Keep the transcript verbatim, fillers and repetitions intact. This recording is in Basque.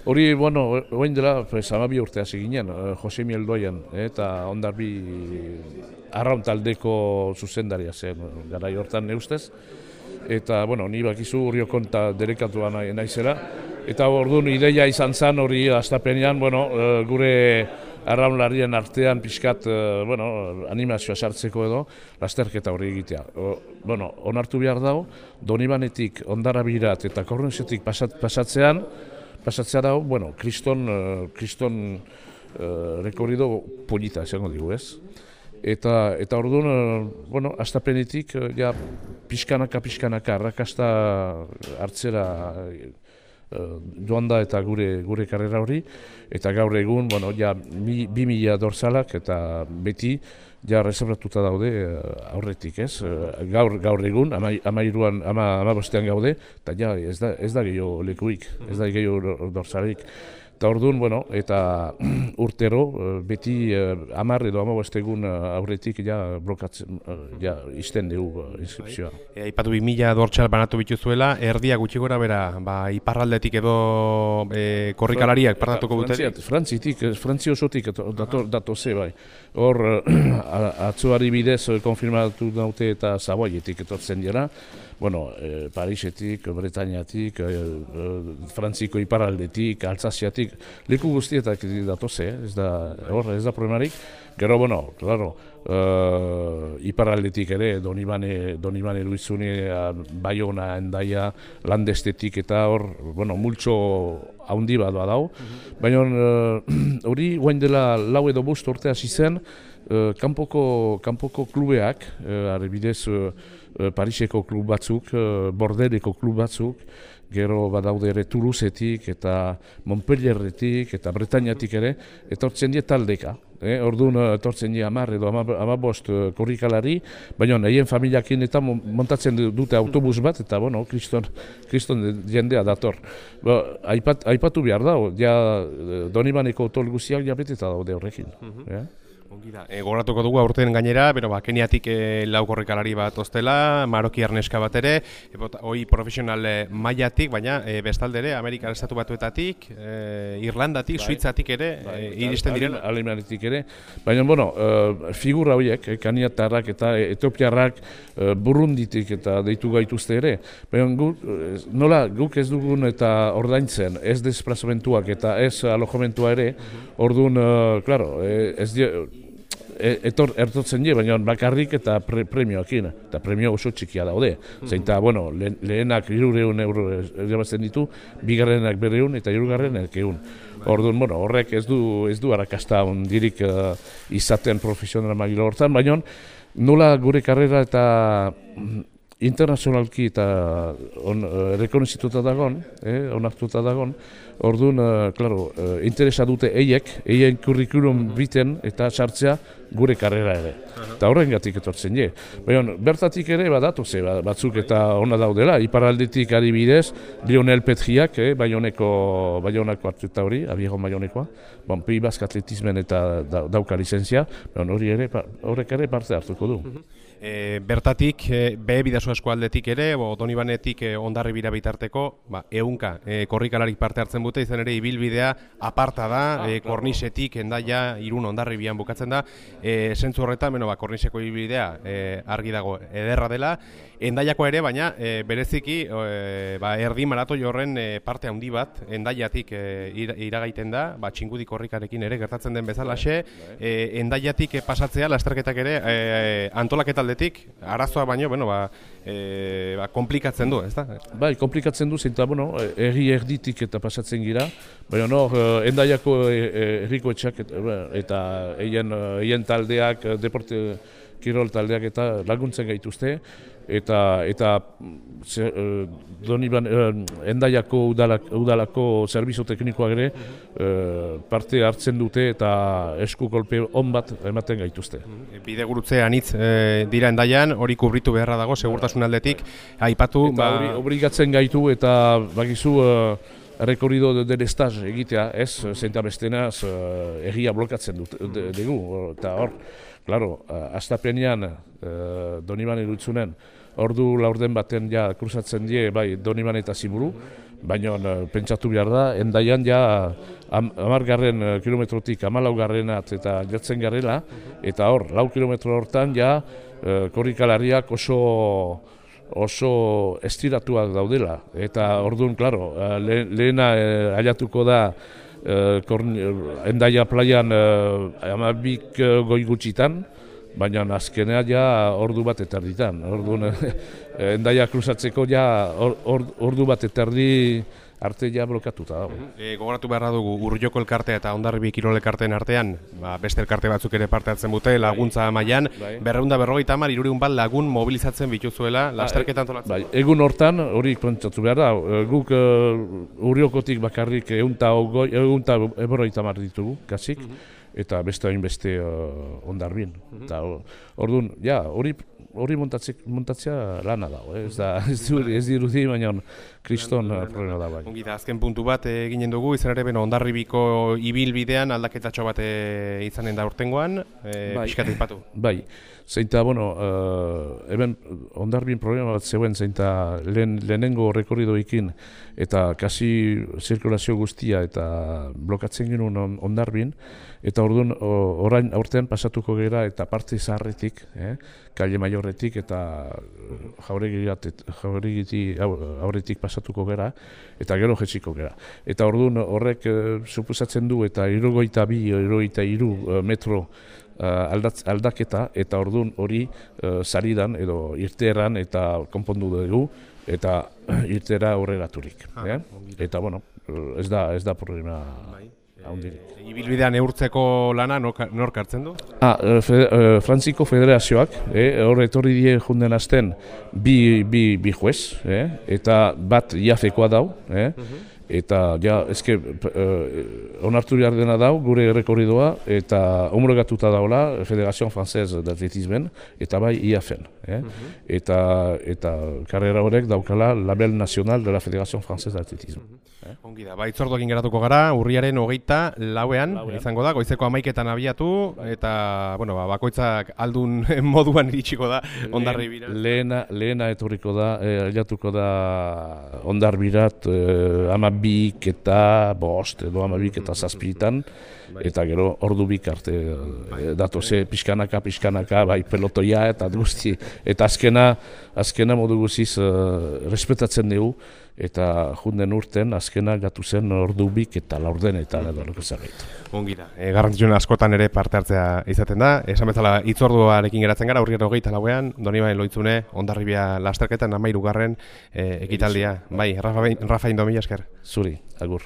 Hori, bueno, oin dela, pues, amabi urte hasi ginen, Jose Miel Doian, eta Ondarbi arraun taldeko zuzendaria zen, garai hortan neustez. Eta, bueno, ni bakizu Urriokon eta derekatuan nahi, naizela. Eta orduan ideia izan zen hori hastapenean, bueno, gure arraunlarien artean pixkat, bueno, animazioa sartzeko edo, lasterketa hori egitea. O, bueno, onartu behar dago, Donibanetik Ondarabirat eta Korronsetik pasat, pasatzean, pasatzea dago, bueno, kriston, kriston uh, rekorrido polita, esango digu, ez? Eta, eta orduan, bueno, hastapenetik, ja, pixkanaka, pixkanaka, arrakasta hartzera uh, joan da eta gure gure karrera hori, eta gaur egun, bueno, ja, mi, bi mila dorzalak eta beti, ja, reservatuta daude uh, aurretik, ez? Uh, gaur, gaur egun, ama, amairuan, ama, ama bostean gaude, eta ja, ez da, ez da gehiago lekuik, ez da gehiago dorzalik. Eta orduan, bueno, eta urtero, beti hamar edo hamabost egun aurretik ja blokatzen, ja izten dugu inskripzioa. Aipatu bi mila dortxal banatu bituzuela, erdia gutxi gora bera, ba, iparraldetik edo e, korrikalariak partatuko buterik? Frantzitik, Frantzi osotik dato ze bai. Hor, atzoari bidez konfirmatu daute eta Zaboietik etortzen dira. Bueno, eh, Parisetik, Bretañatik, eh, eh, Frantziko iparraldetik, Alsaziatik, leku guztietak datoze, eh? ez da, hor, ez da problemarik. Gero, bueno, claro, uh, iparraldetik ere, Donibane, Donibane Luizune, Baiona, Endaia, Landestetik eta hor, bueno, multxo haundi bat badau. Baina hori, uh, guain dela lau edo bost urte hasi zen, uh, kanpoko, kanpoko klubeak, uh, arbidez, uh, Pariseko klub batzuk, Bordeleko klub batzuk, gero badaude ere Toulousetik eta Montpellierretik eta Bretañatik ere, etortzen die taldeka. Eh? Orduan etortzen die hamar edo hamabost korrikalari, baina nahien familiakin eta montatzen dute autobus bat, eta bueno, kriston, kriston jendea dator. Ba, aipat, aipatu behar da, ja, Donibaneko tol guztiak jabeteta daude horrekin. eh? E, Gogoratuko dugu aurten gainera, bero, ba, Keniatik e, lau korrikalari bat ostela, Maroki arneska bat ere, e, bota, hoi profesional e, mailatik, baina e, bestalde ere, Amerikar Estatu Batuetatik, e, Irlandatik, bai, Suitzatik ere, bai, e, iristen diren. Alemaniatik ere, baina, bueno, e, figura horiek, e, Keniatarrak eta Etiopiarrak, e, Burunditik eta deitu gaituzte ere, baina gu, nola guk ez dugun eta ordaintzen, ez desplazamentuak eta ez alojamentua ere, orduan, e, claro, e, ez die, etor ertotzen die, baina bakarrik eta pre, premioakin, eta premio oso txikia daude. Zein eta, bueno, le, lehenak hirureun euro irabazten ditu, bigarrenak berreun eta hirugarrenak ehun. Orduan, bueno, horrek ez du ez du arrakasta ondirik uh, izaten profesional maila hortan, baina nola gure karrera eta internazionalki eta on, uh, rekonozituta dagon, eh, onartuta dagon, orduan, uh, claro, uh, interesa dute eiek, eien kurrikulum biten eta sartzea gure karrera ere. Eta horrengatik etortzen je. Baina, bertatik ere badatu ze, batzuk eta ona daudela, iparraldetik adibidez, Lionel Petriak, eh, Baioneko, Baionako hartuta hori, Abiegon Baionekoa, bon, Pei Bask atletismen eta da, dauka lizentzia, hori ere, horrek ere parte hartuko du. E, bertatik, e, be bidazo eskualdetik ere, bo, Donibanetik e, Ondarri bira bitarteko, ba, ehunka e, korrikalarik parte hartzen dute, izan ere ibilbidea aparta da, ah, e, Kornisetik, Endaia, Irun Ondarri bian bukatzen da, e, zentzu horretan, beno, ba, Korniseko ibilbidea e, argi dago ederra dela, Endaiako ere, baina e, bereziki e, ba, erdi maratoi horren e, parte handi bat, Endaiatik e, iragaiten da, ba, txingudi korrikarekin ere gertatzen den bezalaxe, e, Endaiatik e, pasatzea, lasterketak ere, e, antolaketa aldetik, arazoa baino, bueno, ba, e, ba, komplikatzen du, ez da? Bai, komplikatzen du, zinta, bueno, erri erditik eta pasatzen gira, baina no, Endaiako herriko etxak eta eien, eien taldeak, deporte kirol taldeak eta laguntzen gaituzte, eta eta ze, uh, Doniban, uh, Endaiako udalak, udalako zerbitzu teknikoak ere uh, parte hartzen dute eta esku kolpe on bat ematen gaituzte. Bide gurutze anitz e, dira Endaian, hori kubritu beharra dago, segurtasun aldetik, aipatu... Eta hori ba... obligatzen gaitu eta bakizu uh, rekorrido del estaz egitea, ez, zenta bestenaz uh, erria blokatzen dut, de, dugu, eta hor, claro, uh, astapenean uh, Donibane Lutzunen, ordu laurden baten ja kruzatzen die, bai, Donibane eta Ziburu, baina pentsatu behar da, endaian ja hamargarren kilometrotik hamalaugarrenat eta jatzen garela, eta hor, lau kilometro hortan ja korrikalariak oso oso estiratuak daudela, eta orduan, klaro, lehena ailatuko da Endaia plaian hamabik goi gutxitan, baina azkenea ja ordu bat eterditan. Orduan, Endaia kruzatzeko ja ordu bat eterdi arte ja blokatuta dago. E, gogoratu beharra dugu Urrioko elkartea eta Hondarribi Kirol elkarteen artean, ba, beste elkarte batzuk ere parte hartzen dute, laguntza mailan, berrehun eta berrogeita hamar hirurehun bat lagun mobilizatzen bituzuela lasterketa antolatzen. Bai, egun hortan hori pentsatu behar da, guk uh, Urriokotik bakarrik ehun eta berrogeita hamar ditugu, kasik, eta beste hainbeste uh, Hondarribin. Eta orduan, ja, hori hori montatzea lana dago, eh? ez, da, ez, ez dirudi, baina kriston problema da bai. Ongi da, azken puntu bat eginen dugu, izan ere, beno, Hondarribiko ibilbidean aldaketatxo bat izanen da urtengoan, e, bai. Pixkat aipatu. Bai, zeinta, bueno, uh, eben Hondarribin problema bat zeuen zeinta lehen, lehenengo rekorridoekin eta kasi zirkulazio guztia eta blokatzen genuen Hondarribin, eta orduan orain aurtean pasatuko gera eta parte zaharretik, eh? Kalle Mayorretik eta jauregiti aurretik pasatuko gera, eta gero jetziko gera. Eta orduan horrek e, suposatzen du eta hirurogeita bi, hirurogeita hiru metro uh, aldatz, aldaketa, eta orduan hori uh, saridan edo irteeran eta konpondu dugu, eta irtera aurreraturik. Ah, eh? Eta bueno, ez da, ez da problema. E, ibilbidean neurtzeko lana nork hartzen du? Ah, fe, Frantziko Federazioak, eh, hor etorri die junden azten bi, bi, bi juez, eh, eta bat iafekoa dau, eh, eta ja, ezke, eh, onartu behar dena dau, gure errekorridoa, eta homologatuta daula Federazio Frantzez d'Atletismen, eta bai I A F-en. Eh? Eta, eta karrera horrek daukala Label Nacional de la Federazio Frantzez d'Atletismen. Eh? Ongi da, bai itzordu egin geratuko gara, urriaren hogeita lauean, lauean izango da, goizeko hamaiketan abiatu, eta bueno, ba, bakoitzak aldun moduan iritsiko da Hondarribira. Lehena, lehena etorriko da, ailatuko da Hondarbirat eh, amabik eta bost, edo amabik eta zazpitan, eta gero ordu bik arte eh, datoze pixkanaka, pixkanaka, bai pelotoia eta guzti, eta azkena, azkena modu guziz eh, respetatzen dugu, eta junden urten azkena gatu zen ordu bik eta laurden eta edorreko zerbait. Ongi da, e, garrantzitsuena askotan ere parte hartzea izaten da, esan bezala hitzorduarekin geratzen gara, urriaren hogeita lauean, Donibane Lohitzune, Hondarribia lasterketan hamairugarren e, ekitaldia. Bai, Rafa Indo, mila esker. Zuri, agur.